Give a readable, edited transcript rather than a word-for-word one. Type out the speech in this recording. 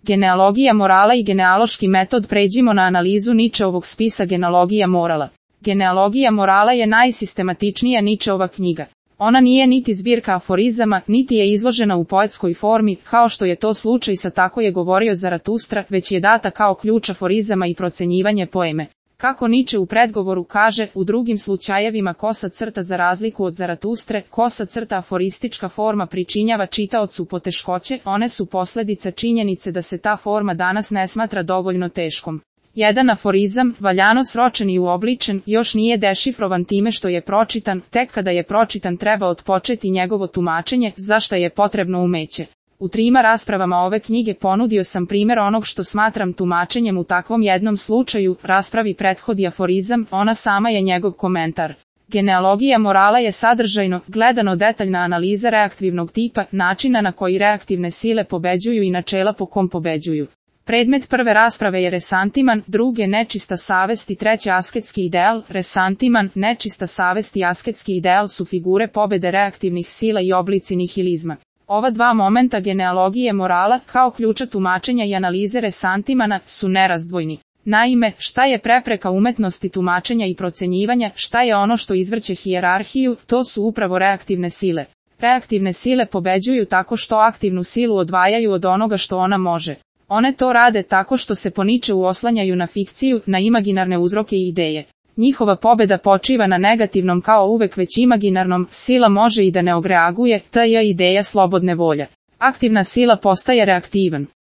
Genealogija morala i genealoški metod. Pređimo na analizu Nietzscheovog spisa Genealogija morala. Genealogija morala je najsistematičnija Nietzscheova knjiga. Ona nije niti zbirka aforizama, niti je izložena u poetskoj formi, kao što je to slučaj sa Tako je govorio Zaratustra, već je data kao ključ aforizama i procenjivanje poeme. Kako Nietzsche u predgovoru kaže, u drugim slučajevima kosa crta za razliku od Zaratustre, kosa crta aforistička forma pričinjava čitaocu poteškoće, one su posljedica činjenice da se ta forma danas ne smatra dovoljno teškom. Jedan aforizam, valjano sročen i uobličen, još nije dešifrovan time što je pročitan, tek kada je pročitan treba otpočeti njegovo tumačenje, za šta je potrebno umeće. U 3 raspravama ove knjige ponudio sam primjer onog što smatram tumačenjem u takvom jednom slučaju, raspravi prethodi aforizam, ona sama je njegov komentar. Genealogija morala je sadržajno, gledano detaljna analiza reaktivnog tipa, načina na koji reaktivne sile pobeđuju i načela po kom pobeđuju. Predmet prve rasprave je resantiman, druge nečista savest i treće asketski ideal. Resantiman, nečista savest i asketski ideal su figure pobede reaktivnih sila i oblici nihilizma. Ova 2 momenta genealogije morala, kao ključa tumačenja i analize resantimana, su nerazdvojni. Naime, šta je prepreka umetnosti tumačenja i procenjivanja, šta je ono što izvrće hijerarhiju, to su upravo reaktivne sile. Reaktivne sile pobeđuju tako što aktivnu silu odvajaju od onoga što ona može. One to rade tako što se po Nietzscheu oslanjaju na fikciju, na imaginarne uzroke i ideje. Njihova pobeda počiva na negativnom kao uvek već imaginarnom, sila može i da ne odreaguje, ta je ideja slobodne volje. Aktivna sila postaje reaktivan.